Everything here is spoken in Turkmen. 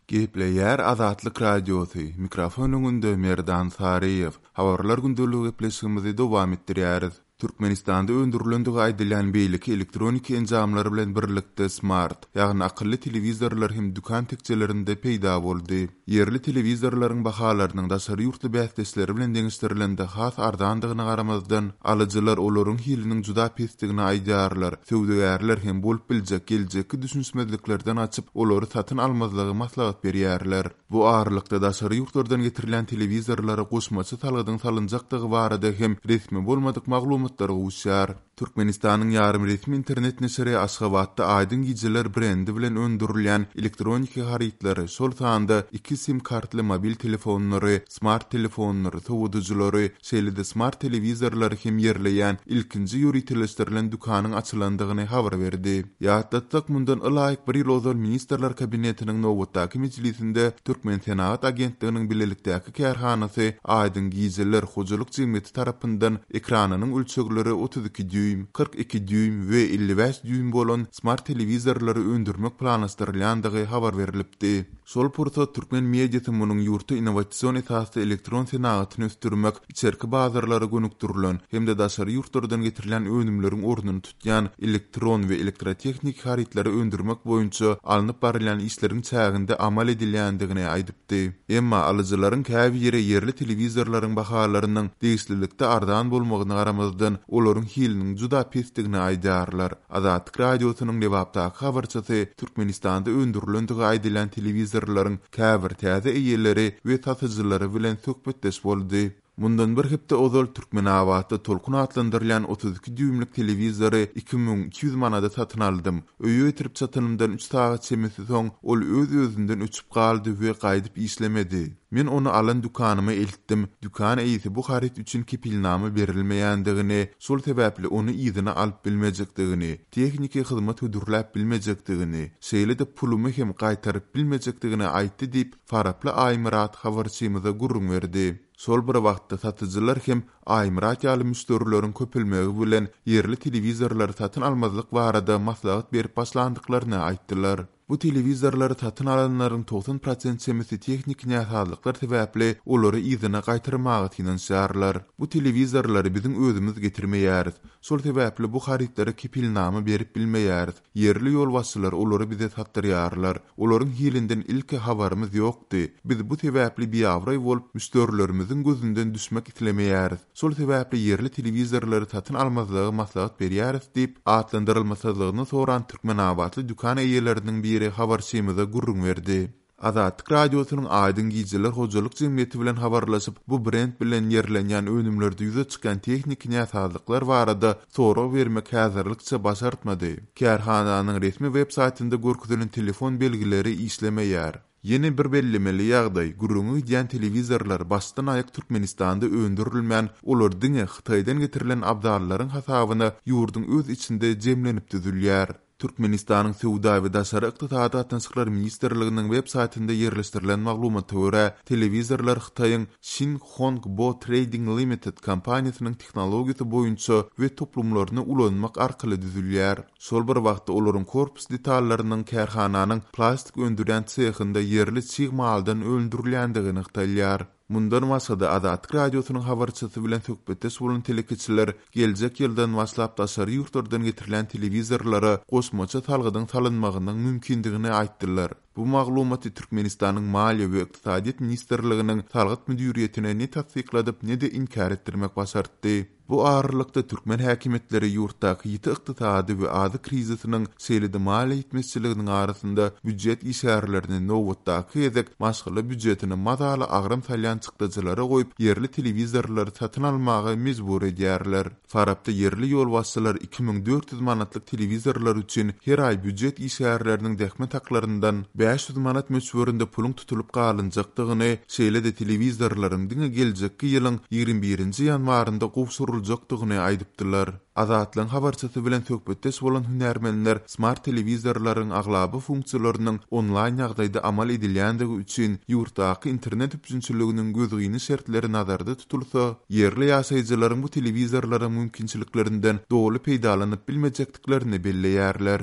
Gepleýär Azatlyk Radiosy, mikrofon öňünde Merdan Saryýew. Habarlar gündeligi gepleşigimizi dowam etdirýäris. Türkmenistanda öndürilendigi aýdylýan beýleki elektroniki enjamlar bilen birlikde smart, ýagny akylly telewizorlar hem dükan tekjelerinde peýda boldy. Ýerli telewizorlaryň bahalarynyň daşary ýurtly bäsdeşleri bilen deňeşdirilende has arzandygyna garamazdan, alyjylar olaryň hiliniň juda pesdigini aýdýarlar. Söwdagärler hem bolup biljek geljekki düşünişmezliklerden gaçyp, olary satyn almazlygy maslahat berýärler. Bu aralykda, daşary ýurtlardan getirilýän telewizorlara goşmaça salgydyň salynjakdygy barada hem resmi bolmadyk maglumatlar gowuşýar. Türkmenistanyň ýarym resmi internet neşiri Aşgabatda Aýdyň gijeler brendi bilen öndürilýän elektroniki harytlary, şol sanda iki sim kartly mobil telefonlary, smart telefonlary, sowadyjylary, şeýle-de smart telewizorlary hem ýerleýän ilkinji ýöriteleşdirilen dükanyň açylandygyny habar berdi. Ýatlatsak, mundan ylaýyk bir ýyl ozal Ministrler Kabinetiniň nobatdaky mejlisinde Türkmensenagat agentliginiň bilelikdäki kärhanasy Aýdyň gijeler hojalyk jemgyýeti tarapyndan ekranynyň ölçegleri 32 dýuým, 42 dýuým we 55 dýuým bolan smart telewizorlary öndürmek planlaşdyrylýandygy habar berlipdi. Şol pursat türkmen mediasy munuň ýurtda innowasion esasda elektron senagatyny ösdürmek, içerki bazarlara gönükdirilen hem-de daşary ýurtlardan getirilýän önümleriň ornuny tutýan elektron we elektrotehniki harytlary öndürmek boýunça alnyp barylýan işleriň çäginde amal edilýändigini aýdypdy. Emma alyjylaryň käbiri ýerli telewizorlaryň bahalarynyň degişlilikde arzan bolmagyna garamazdan, olaryň hiliniň juda pesdigini aýdýarlar. Azatlyk Radiosynyň Lebapdaky habarçysy Türkmenistanda öndürilendigi aýdylýan telewizorlaryň käbir täze eýeleri we satyjylary bilen söhbetdeş boldy. Mundan bir hepde ozal Türkmenabatda Tolkun atlandyrylýan 32 dýuýmlyk telewizory 2200 manada satyn aldym. Öýe getirip çatanymdan üç sagat çemesi soň ol öz-özünden öçüp galdy we gaýdyp işlemedi. Men ony alan dükanyma eltdim. Dükan eýesi bu haryt üçin kepilnama berilmeýändigini, şol sebäpli ony yzyna alyp bilmejekdigini, tehniki hyzmat hödürläp bilmejekdigini, şeýle-de pulumy hem gaýtaryp bilmejekdigini aýtdy diýip, faraply Aýmyrat habarçymyza gürrüň berdi. Şol bir wagtda, satyjylar hem Aýmyrat ýaly müşderileriň köpelmegi bilen ýerli telewizorlary satyn almazlyk barada maslahat berip başlandyklaryny aýtdylar. Bu telewizorlary satyn alanlaryň 90 prosent çemesi tehniki näsazlyklar sebäpli olary yzyna gaýtarmaga synanyşýarlar. Bu telewizorlary biziň özümiz getirmeýäris. Şol sebäpli bu harytlara kepilnama berip bilmeýäris. Ýerli ýolbaşçylar olary bize satdyrýarlar. Olaryň hilinden ilki habarymyz ýokdy. Biz bu sebäpli biabraý bolup, müşderilerimiziň gözünden düşmek islemeýäris. Şol sebäpli ýerli telewizorlary satyn almazlygy maslahat berýäris diýip, atlandyrylmasyzlygyny soran türkmenabatly dükan eýeleriniň biri habarçymyza gürrüň berdi. Azatlyk Radiosynyň Aýdyň gijeler hojalyk jemgyýeti bilen habarlaşyp, bu brend bilen ýerlenýän önümlerde ýüze çykýan tehniki näsazlyklar barada sorag bermek häzirlikçe başartmady. Kärhananyň resmi web saýtynda görkezilen telefon belgileri işlemeýär. Ýene bir bellemeli ýagdaý, gürrüňi gidýän telewizorlar başdan-aýak Türkmenistanda öndürilmän, olar diňe Hytaýdan getirilen abzallaryň hasabyna ýurduň öz içinde jemlenip düzülýär. Türkmenistanyň Söwda we daşary ykdysady gatnaşyklar ministrliginiň web saýtynda ýerleşdirilen maglumata görä, telewizorlar Hytaýyň Xin Hong Bo Trading Limited kompaniýasynyň tehnologiýasy boýunça we toplumlaryny ulanmak arkaly düzülýär. Şol bir wagtda olaryň korpus detallarynyň kärhananyň plastik öndürýän sehinde ýerli çig maldan öndürilýändigi nygtalýar. Mundan başga-da, Azatlyk Radiosynyň habarçysy bilen söhbetdeş bolan telekeçiler geljek ýyldan başlap daşary ýurtlardan getirilýän telewizorlara goşmaça salgydyň salynmagynyň mümkindigini aýtdylar. Bu maglumaty Türkmenistanyň Maliýe we ykdysadyýet ministrliginiň Salgyt müdiriýetine ne tassykladyp, ne-de inkär etdirmek başartdy. Bu aralykda, türkmen häkimiýetleri ýurtdaky ýiti ykdysady we azyk krizisiniň, şeýle-de maliýe ýetmezçiliginiň arasynda býujet işgärlerini nobatdaky gezek maşgala býujetine mazaly agram salýan çykdajylara goýup, ýerli telewizorlary satyn almaga mejbur edýärler. Farapda ýerli ýolbaşçylar 2400 manatlyk telewizorlar üçin her aý býujet işgärleriniň zähmet haklaryndan 500 manat möçberinde puluň tutulyp galynjakdygyny, şeýle-de telewizorlaryň diňe geljekki ýylyň 21-nji ýanwarynda gowşuryljakdygyny aýdypdylar. Azatlygyň habarçysy bilen söhbetdeş bolan hünärmenler smart telewizorlaryň aglaba funksiýalarynyň onlaýn ýagdaýda amal edilýändigi üçin ýurtdaky internet üpjünçiliginiň gözgyny şertleri nazarda tutulsa, ýerli ýaşaýjylaryň bu telewizorlaryň mümkinçiliklerinden doly peýdalanyp bilmejekdiklerini belleýärler.